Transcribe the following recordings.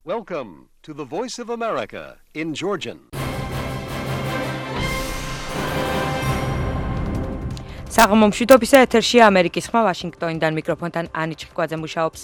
Welcome to the Voice of America in Georgian. საღამომშვიდობისა ეთერშია ამერიკის ხმა ვაშინგტონიდან მიკროფონთან ანი ჭიკვაძე მუშაობს.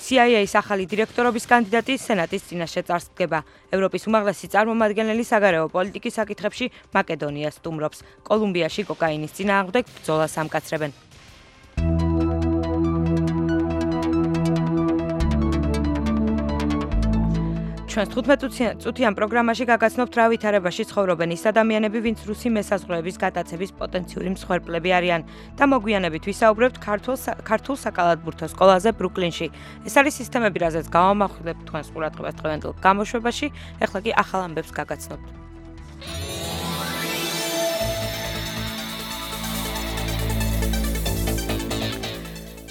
CIA-ის ახალი დირექტორობის კანდიდატი სენატის წინაშე წარსდგება. ევროპის უმაღლესი წარმომადგენელი საგარეო პოლიტიკის საკითხებში მაკედონიას სტუმრობს. კოლუმბიაში კოკაინის წინააღმდეგ ბრძოლას ამკაცრებენ. ჩვენს 15 წუთიან პროგრამაში გაგაცნობთ რა ვითარებაში ცხოვრობენ ის ადამიანები, ვინც რუსი მესაზღვრეების გატაცების პოტენციური მსხვერპლები არიან და მოგვიანებით ვისაუბრებთ ქართულ საკალათბურთო სკოლაზე ბრუკლინში. ეს არის სისტემები, რაზეც გავამახვილებთ თქვენს ყურადღებას დღევანდელ გამოშვებაში, ეხლა კი ახალ ამბებს გაგაცნობთ.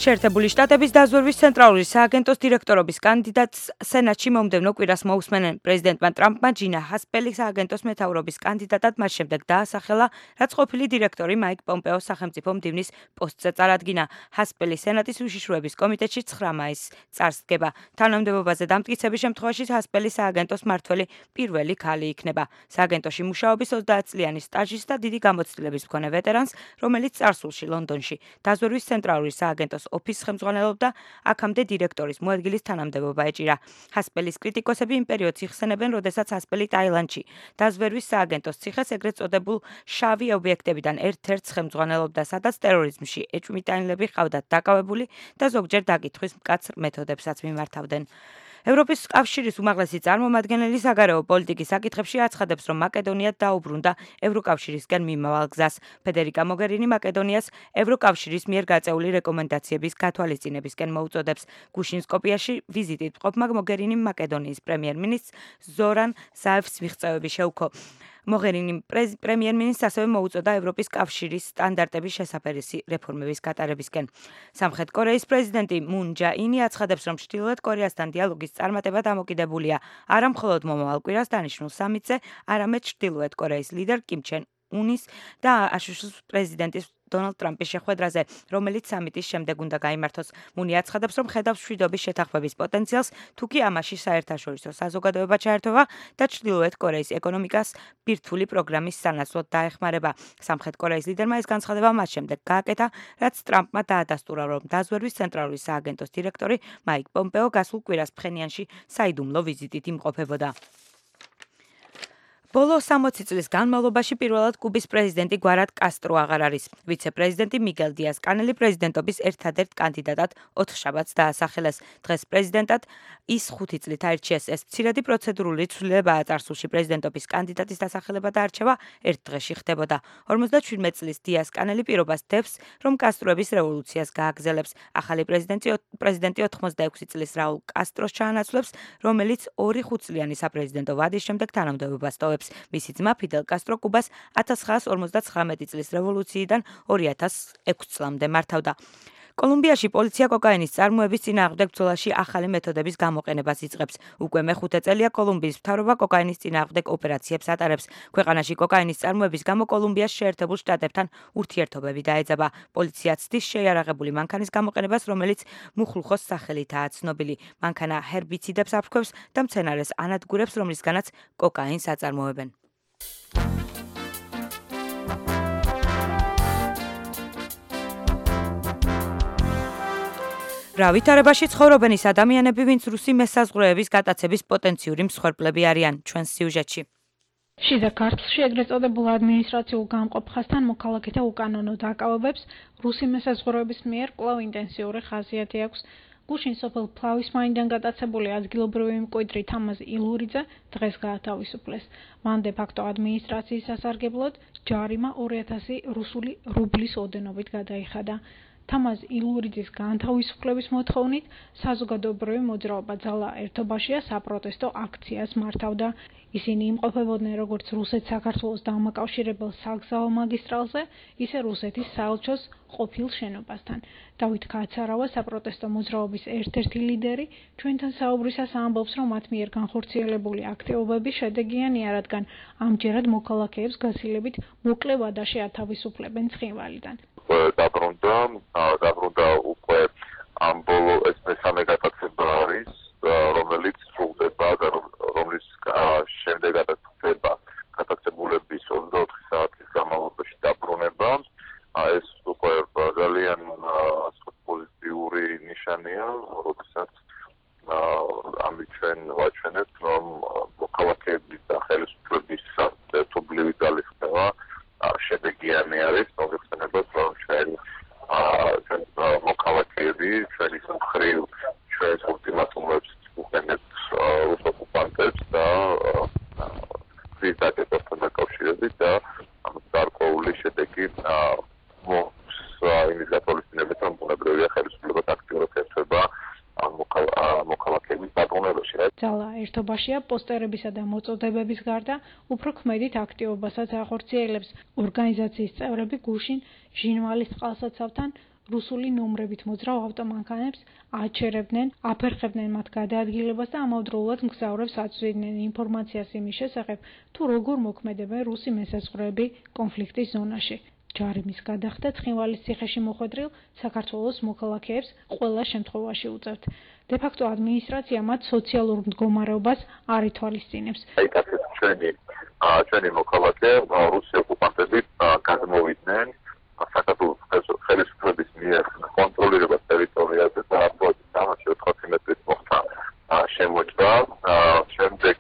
შეერთებული შტატების დაზვერვის ცენტრალური სააგენტოს დირექტორობის კანდიდატს სენატში მომდევნო კვირას მოусმენენ. პრეზიდენტმა ტრამპმა ჯინა ჰასპელის სააგენტოს მეთაურობის კანდიდატად მას შემდეგ დაასახელა, რაც ყოფილი დირექტორი მაიკ პომპეოს სახელმწიფო მდივნის პოსტზე წარადგინა. ჰასპელი სენატის უშიშროების კომიტეტში 9 მაისს წარსდგება. თანამდებობაზე დამტკიცების შემთხვევაში ჰასპელი სააგენტოს მმართველი პირველი ქალი იქნება. სააგენტოში მუშაობის 30 წლიანი სტაჟის და დიდი გამოცდილების მქონე ვეტერანს, რომელიც წარსულში ლონდონში დაზვერვის ცენტრალური სააგენტოს ოფისს ხელმძღვანელობდა, აქამდე დირექტორის მოადგილის თანამდებობა ეჭირა. ჰასპელის კრიტიკოსები იმ პერიოდს იხსენებენ, როდესაც ჰასპელი ტაილანდში დაზვერვის სააგენტოს ციხეს ეგრეთ წოდებულ შავი ობიექტებიდან ერთ-ერთს ხელმძღვანელობდა, სადაც ტერორიზმში ეჭვმიტანილები ჰყავდათ დაკავებული და ზოგჯერ დაკითხვის მკაცრ მეთოდებსაც მიმართავდნენ. ევროპის კავშირის უმაღლესი წარმომადგენელი საგარეო პოლიტიკის საკითხებში აცხადებს, რომ მაკედონია დაუბრუნდა ევროკავშირისკენ მიმავალ გზას. ფედერიკა მოგერინი მაკედონიას ევროკავშირის მიერ გაწეული რეკომენდაციების გათვალისწინებისკენ მოუწოდებს. გუშინ სკოპიაში ვიზიტით მყოფმა მოგერინიმ მაკედონიის პრემიერ-მინისტრს ზორან ზაევს მიღწევები შეუქო. მოგერინიმ პრემიერ-მინისტრს ასევე მოუწოდა ევროპის კავშირის სტანდარტების შესაფერისი რეფორმების გატარებისკენ. სამხრეთ კორეის პრეზიდენტი მუნ ჯა ინი აცხადებს, რომ ჩრდილოეთ კორეასთან დიალოგის წარმატება დამოკიდებულია არა მხოლოდ მომავალ კვირას დანიშნულ სამიტზე, არამედ ჩრდილოეთ კორეის ლიდერ კიმ ჩენ უნის და აშშ-ის პრეზიდენტის დონალდ ტრამპის შეხვედრაზე, რომელიც სამიტის შემდეგ უნდა გაიმართოს. მუნი აცხადებს, რომ ხედავს მშვიდობის შეთანხმების პოტენციალს, თუკი ამაში საერთაშორისო საზოგადოება ჩაერთვება და ჩრდილოეთ კორეის ეკონომიკას ბირთვული პროგრამის სანაცვლოდ დაეხმარება. სამხრეთ კორეის ლიდერმა ეს განცხადება მას შემდეგ გააკეთა, რაც ტრამპმა დაადასტურა, რომ დაზვერვის ცენტრალური სააგენტოს დირექტორი მაიკ პომპეო გასულ კვირას ფხენიანში საიდუმლო ვიზიტით იმყოფებოდა. ბოლო 60 წლის განმავლობაში პირველად კუბის პრეზიდენტი გვარად კასტრო აღარ არის. ვიცე-პრეზიდენტი მიგელ დიას კანელი პრეზიდენტობის ერთადერთ კანდიდატად ოთხშაბათს დაასახელეს. დღეს პრეზიდენტად ის 5 წლით აირჩიეს. ეს მცირედი პროცედურული ცვლილებაა წარსულში პრეზიდენტობის კანდიდატის დასახელება და არჩევა ერთ დღეში ხდებოდა. 57 წლის დიას კანელი პირობას დევს, რომ კასტროების რევოლუციას გააგზელებს. ახალი პრეზიდენტი 86 წლის რაულ კასტროს ჩაანაცვლებს, რომელიც 2 5-წლიანი საპრეზიდენტო ვადის შემდეგ თანამდებობას ტოვებს. მისი ძმა ფიდელ კასტრო კუბას 1959 წლის რევოლუციიდან 2006 წლამდე მართავდა. კოლუმბიაში პოლიცია კოკაინის წარმოების წინააღმდეგ ბრძოლაში ახალი მეთოდების გამოყენებას იწყებს. უკვე მეხუთე წელია კოლუმბიის მთავრობა კოკაინის წინააღმდეგ ოპერაციებს ატარებს. ქვეყანაში კოკაინის წარმოების გამო კოლუმბიას შეერთებულ შტატებთან ურთიერთობები დაეძაბა. პოლიცია ცდის შეიარაღებული მანქანის გამოყენებას, რომელიც მუხლუხოს სახელითაა ცნობილი. მანქანა ჰერბიციდებს აფრქვევს და მცენარეს ანადგურებს, რომლისგანაც კოკაინს აწარმოებენ. რა ვითარებაში ცხოვრობენ ის ადამიანები, ვინც რუსი მესაზღვრეების გატაცების პოტენციური მსხვერპლები არიან, ჩვენს სიუჟეტში. შიდა ქართლში ეგრეთ წოდებულ ადმინისტრაციულ გამყოფხასთან მოქალაქეთა უკანონო დაკავებებს რუსი მესაზღვრეების მიერ კვლავ ინტენსიური ხასიათი აქვს. გუშინ სოფელ ფლავისმაინიდან გატაცებული ადგილობრივი მკვიდრი თამაზ ილურიძე დღეს გაათავისუფლეს. მან დე-ფაქტო ადმინისტრაციის სასარგებლოდ ჯარიმა 2000 რუსული რუბლის ოდენობით გადაიხადა. თამაზ ილურიძის განთავისუფლების მოთხოვნით საზოგადოებრივი მოძრაობა ძალა ერთობაშია საპროტესტო აქციას მართავდა. ისინი იმყოფებოდნენ როგორც რუსეთ-საქართველოს დამაკავშირებელ საგზაო მაგისტრალზე, ისე რუსეთის საელჩოს ყოფილ შენობასთან. დავით კაცარავა საპროტესტო მოძრაობის ერთ-ერთი ლიდერი ჩვენთან საუბრისას ამბობს, რომ მათ მიერ განხორციელებული აქტივობები შედეგიანია, რადგან ამჯერად მოქალაქეებს გაცილებით მოკლე ვადაში ათავისუფლებენ ცხინვალიდან. დაბრუნდა უკვე ამ ბოლო ეს მესამე გატაცება არის, რომელიც სრულდება ჩვენ ვაჩვენებთ, რომ მოქალაქეების და ხელისუფლების ერთობლივი ძალისხმევა შედეგიანი არის, მოგეხსენებათ, რომ ჩვენ მოქალაქეები ჩვენი მხრივ ჩვენს ულტიმატუმებს უყენებთ რუს ოკუპანტებს და კრიტიკასთან დაკავშირებით და გარკვეული შედეგი მოხს იმის გათვალისწინებით, რომ ბუნებრივია ხელისუფლებას აქტიურად ეხება მოქალაქეების დაბრუნებაში. ძალა ერთობაშია პოსტერებისა და მოწოდებების გარდა უფრო ქმედით აქტივობასაც ახორციელებს. ორგანიზაციის წევრები გუშინ ჟინვალის წყალსაცავთან რუსული ნომრებით მოძრავ ავტომანქანებს აჩერებდნენ, აფერხებდნენ მათ გადაადგილებას და ამავდროულად მგზავრებს აწვდიდნენ ინფორმაციას იმის შესახებ, თუ როგორ მოქმედებენ რუსი მესაზღვრეები კონფლიქტის ზონაში. ჯარიმის გადახდა ცხინვალის ციხეში მოხვედრილ საქართველოს მოქალაქეებს ყველა შემთხვევაში უწევთ. დე-ფაქტო ადმინისტრაცია მათ სოციალურ მდგომარეობას არ ითვალისწინებს. აიტაცეთ ჩვენი მოქალაქე რუსი ოკუპანტები გადმოვიდნენ საქართველოს ხელისუფლების მიერ კონტროლირებას ტერიტორიაზე და აპროტის 400 მეტრის მოხდა შემოჭრა. შემდეგ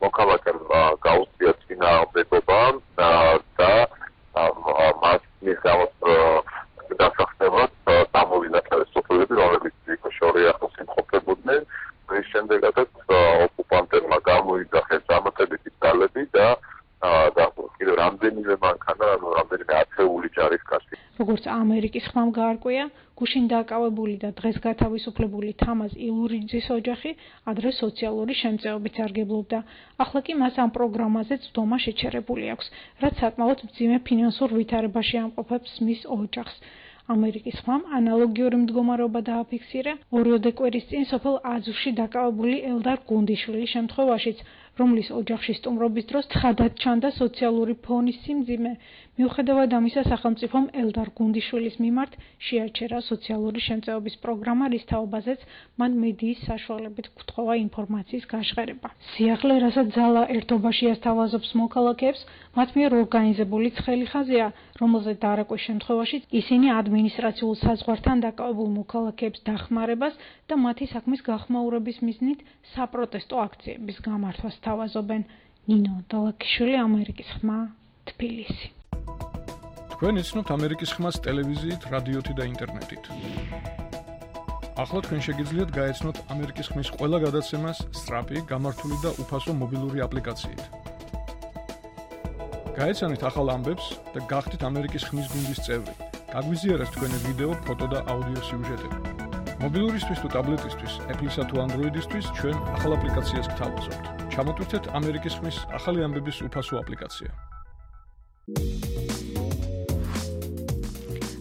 მოქალაქემ გაუწია წინააღმდეგობა და მას მისგავთ დასახსნელად დამოვიდა ხელისუფლები, რომლებიც შორი ახლოს იმყოფებოდნენ. მის შემდეგაც ოკუპანტებმა გამოიძახეს დამატებითი ძალები და კიდევ რამდენიმე მანქანა, რამდენიმე ათეული ჯარისკაცი. როგორც ამერიკის ხმამ გაარკვია, გუშინ დაკავებული და დღეს გათავისუფლებული თამაზ ილურიძის ოჯახი ადრე სოციალური შემწეობით სარგებლობდა. ახლა კი მას ამ პროგრამაზე წვდომა შეჩერებული აქვს, რაც საკმაოდ მძიმე ფინანსურ ვითარებაში ამყოფებს მის ოჯახს. ამერიკის ხმამ ანალოგიური მდგომარეობა დააფიქსირა ორიოდე კვირის წინ სოფელ აზუში დაკავებული ელდარ გუნდიშვილის შემთხვევაშიც, რომლის ოჯახში სტუმრობის დროს თხადად ჩანდა სოციალური ფონის სიმძიმე. მიუხედავად ამისა, სახელმწიფომ ელდარ გუნდიშვილის მიმართ შეაჩერა სოციალური შემწეობის პროგრამა, რის თაობაზეც მან მედიის საშუალებით გვთხოვა ინფორმაციის გაშღერება. სიახლე, რასაც ძალა ერთობაში ასთავაზობს მოქალაქეებს, მათ მიერ ორგანიზებული ცხელი ხაზია, რომელზეც დარეკვის შემთხვევაში ისინი ადმინისტრაციულ საზღვართან დაკავებულ მოქალაქეებს დახმარებას და მათი საქმის გახმაურების მიზნით საპროტესტო აქციების გამართვას თავაზობენ. ნინო დალაქიშვილი, ამერიკის ხმა, თბილისი. თქვენ იცნობთ ამერიკის ხმას ტელევიზიით, რადიოთი და ინტერნეტით. ახლა თქვენ შეგიძლიათ გაეცნოთ ამერიკის ხმის ყველა გადაცემას სწრაფი, გამართული და უფასო მობილური აპლიკაციით. გაეცანით ახალ ამბებს და გახდით ამერიკის ხმის გუნდის წევრი. გაგვიზიარეთ თქვენი ვიდეო, ფოტო და აუდიო სიუჟეტები. მობილურისთვის თუ ტაბლეტისთვის, Apple-ისა თუ Android-ისთვის ჩვენ ახალ აპლიკაციას გთავაზობთ. ჩამოტვირთეთ ამერიკის ხმის ახალი ამბების უფასო აპლიკაცია.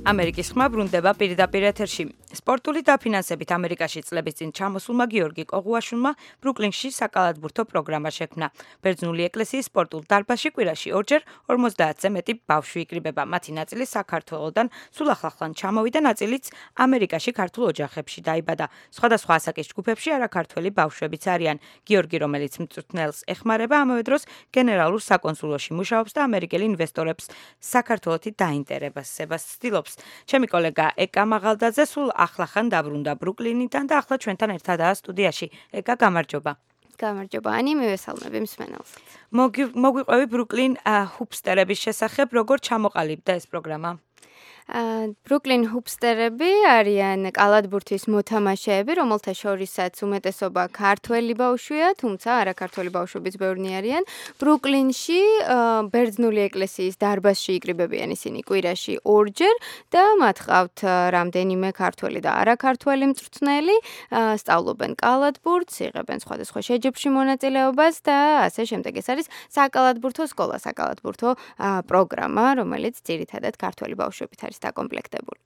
ამერიკის ხმა ბრუნდება პირდაპირ ეთერში. სპორტული დაფინანსებით ამერიკაში წლების წინ ჩამოსულმა გიორგი კოღუაშვილმა ბრუკლინში საკალათბურთო პროგრამა შექმნა. ბერძნული ეკლესიის სპორტულ დარბაზში კვირაში ორჯერ 50-ზე მეტი ბავშვი იკრიბება. მათი ნაწილი საქართველოდან სულ ახლახან ჩამოვიდა, ნაწილიც ამერიკაში ქართულ ოჯახებში დაიბადა. სხვადასხვა ასაკის ჯგუფებში არაქართველი ბავშვებიც არიან. გიორგი, რომელიც მწვრთნელს ეხმარება, ამავე დროს გენერალურ საკონსულოში მუშაობს და ამერიკელი ინვესტორებს საქართველოთი დაინტერესებას ცდილობს. ჩემი კოლეგა ეკა მაღალდაძე სულ ახლახან დაბრუნდა ბრუკლინიდან და ახლა ჩვენთან ერთადაა სტუდიაში. ეკა, გამარჯობა. გამარჯობა, ანი, მივესალმები მსმენელს. მოგვიყვევი ბრუკლინ ჰუპსტერების შესახებ, როგორ ჩამოყალიბდა ეს პროგრამა? ბრუკლინ ჰუპსტერები არიან კალათბურთის მოთამაშეები, რომელთა შორისაც უმეტესობა ქართველი ბავშვია, თუმცა არაქართველი ბავშვებიც ბევრნი არიან. ბრუკლინში ბერძნული ეკლესიის დარბაზში იკრიბებიან ისინი კვირაში ორჯერ და მათ ყავთ რამდენიმე ქართველი და არაქართველი მწვრთნელი, სწავლობენ კალათბურთს, იღებენ სხვადასხვა შეჯიბრში მონაწილეობას და ასე შემდეგ. ეს არის საკალათბურთო სკოლა, საკალათბურთო პროგრამა, რომელიც ძირითადად ქართველი ბავშვებით არის დაკომპლექტებული.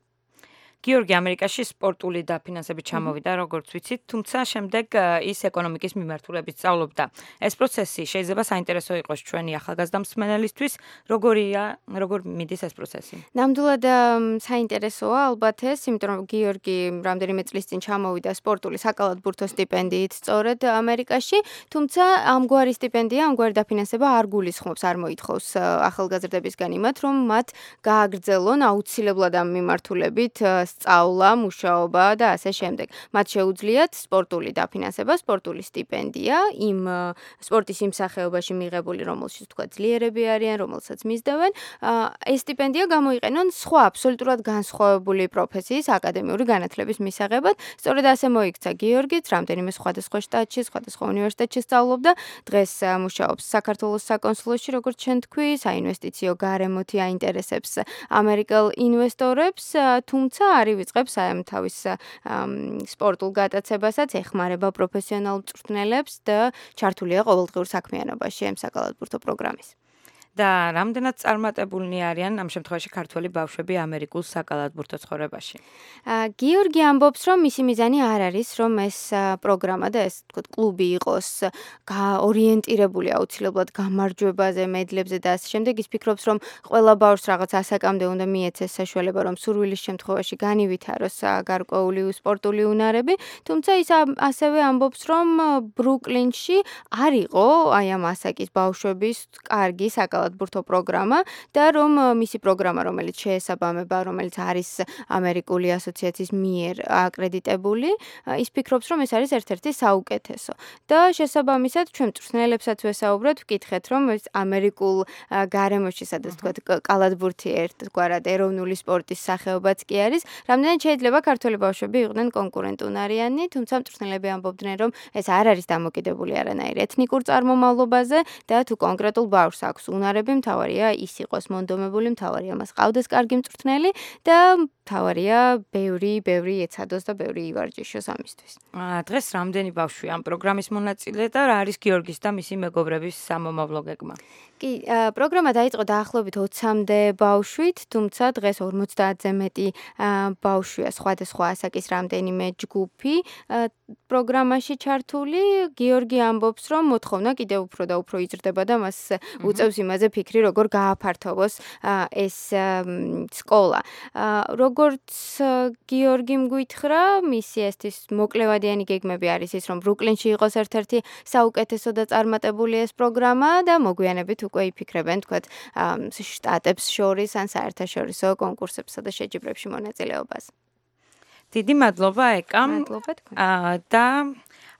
გიორგი ამერიკაში სპორტული დაფინანსებით ჩამოვიდა, როგორც ვიცით, თუმცა შემდეგ ის ეკონომიკის მიმართულებით სწავლობდა. ეს პროცესი შეიძლება საინტერესო იყოს ჩვენი ახალგაზრდა მსმენელისთვის, როგორ მიდის ეს პროცესი? ნამდვილად საინტერესოა ალბათ ეს, იმიტომ რომ გიორგი რამდენიმე წლის წინ ჩამოვიდა სპორტული საკალათბურთო სტიპენდიით სწორედ ამერიკაში, თუმცა ამგვარი სტიპენდია, ამგვარი დაფინანსება არ გულისხმობს, არ მოითხოვს ახალგაზრდებისგან იმათ, რომ მათ გააგრძელონ აუცილებლად ამ მიმართულებით სწავლა, მუშაობა და ასე შემდეგ. მათ შეუძლიათ სპორტული დაფინანსება, სპორტული სტიპენდია იმ სპორტის იმ სახეობაში მიღებული, რომელშიც თქვა ძლიერები არიან, რომელსაც მისდევენ. ეს სტიპენდია გამოიყენონ სხვა აბსოლუტურად განსხვავებული პროფესიის აკადემიური განათლების მისაღებად. სწორედ ასე მოიქცა გიორგიც, რამდენიმე სხვადასხვა შტატში, სხვადასხვა უნივერსიტეტში სწავლობდა. დღეს მუშაობს საქართველოს საკონსულოში, როგორც ჩვენ თქვი, საინვესტიციო გარემოთი აინტერესებს ამერიკელ ინვესტორებს, თუმცა არ ივიწყებს თავის სპორტულ გატაცებასაც, ეხმარება პროფესიონალ მწვრთნელებს და ჩართულია ყოველდღიურ საქმიანობაში ამ საკალათბურთო პროგრამის. და რამდენად წარმატებულნი არიან ამ შემთხვევაში ქართველი ბავშვები ამერიკულ საკალათბურთო ცხოვრებაში? გიორგი ამბობს, რომ მისი მიზანი არ არის, რომ ეს პროგრამა და ეს თქო კლუბი იყოს ორიენტირებული აუცილებლად გამარჯვებაზე, მედლებზე და ასე შემდეგ. ის ფიქრობს, რომ ყველა ბავშვს რაღაც ასაკამდე უნდა მიეცეს საშუალება, რომ სურვილის შემთხვევაში განივითაროს გარკვეული სპორტული უნარები, თუმცა ის ასევე ამბობს, რომ ბრუკლინში არ იყო აი ამ ასაკის ბავშვების კარგი საკალათბურთო პროგრამა და რომ მისი პროგრამა, რომელიც შეესაბამება, რომელიც არის ამერიკული ასოციაციის მიერ აკრედიტებული, ის ფიქრობს, რომ ეს არის ერთ-ერთი საუკეთესო. და შესაბამისად, ჩვენ მწვრთნელებსაც ვესაუბრეთ, ვკითხეთ, რომ ეს ამერიკულ გარემოში, სადაც თქვა კალათბურთი ერთგვარად ეროვნული სპორტის სახეობაც კი არის, რამდენად შეიძლება ქართველი ბავშვები იყვნენ კონკურენტუნარიანი, თუმცა მწვრთნელები ამბობდნენ, რომ ეს არ არის დამოკიდებული არანაირ ეთნიკურ წარმომავლობაზე და თუ კონკრეტულ ბავშვს აქვს უნარები, მთავარია ის იყოს მონდომებული, მთავარია მას ყავდეს კარგი მწვრთნელი და მთავარია ბევრი ეცადოს და ბევრი ივარჯიშოს ამისთვის. დღეს რამდენი ბავშვი ამ პროგრამის მონაწილე და რა არის გიორგის და მისი მეგობრების სამომავლო გეგმა? კი, პროგრამა დაიწყო დაახლოებით 20-მდე ბავშვით, თუმცა დღეს 50-ზე მეტი ბავშვია, სხვადასხვა ასაკის რამდენიმე ჯგუფი პროგრამაში ჩართული. გიორგი ამბობს, რომ მოთხოვნა კიდევ უფრო და უფრო იზრდება და მას უწევს იმაზე ფიქრი, როგორ გააფართოვოს ეს სკოლა. როგორც გიორგიმ გვითხრა, მისი ესეთის მოკლევადიანი გეგმები არის ის, რომ ბრუკლინში იყოს ერთ-ერთი საუკეთესო და წარმატებული ეს პროგრამა და მოგვიანებით უკვე იფიქრებენ, თქვათ, შტატებს შორის ან საერთაშორისო კონკურსებსა და შეჯიბრებში მონაწილეობას. დიდი მადლობა ეკამ. მადლობა თქვენ. და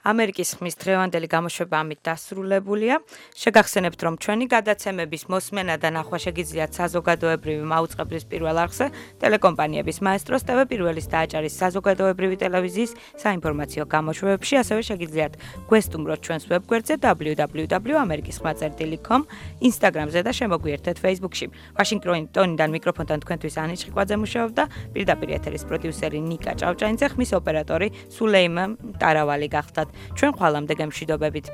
ამერიკის ხმის დღევანდელი გამოშვება ამით დასრულებულია. შეგახსენებთ, რომ ჩვენი გადაცემების მოსმენა და ნახვა შეგიძლიათ საზოგადოებრივი მაუწყებლის პირველ არხზე, ტელეკომპანიების მაესტროს TV პირველის დააჭარის საზოგადოებრივი ტელევიზიის საინფორმაციო გამოშვებებში, ასევე შეგიძლიათ გვესტუმროთ ჩვენს ვებგვერდზე www.amerikisxma.com, Instagram-ზე და შემოგვიერთეთ Facebook-ში. ვაშინგტონიდან მიკროფონთან თქვენთვის ანი ჭიყვაძე მუშაობდა, პირდაპირ ეთერის პროდიუსერი ნიკა ჭავჭანიძე, ხმის ოპერატორი სულეიმა ტარავალი გახდათ. ჩვენ ხვალამდე გემშვიდობებით.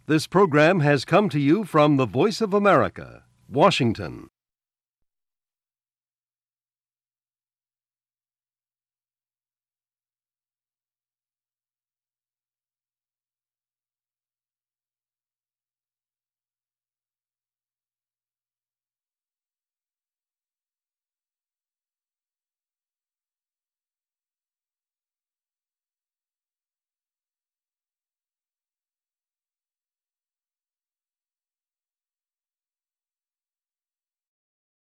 This program has come to you from the Voice of America, Washington.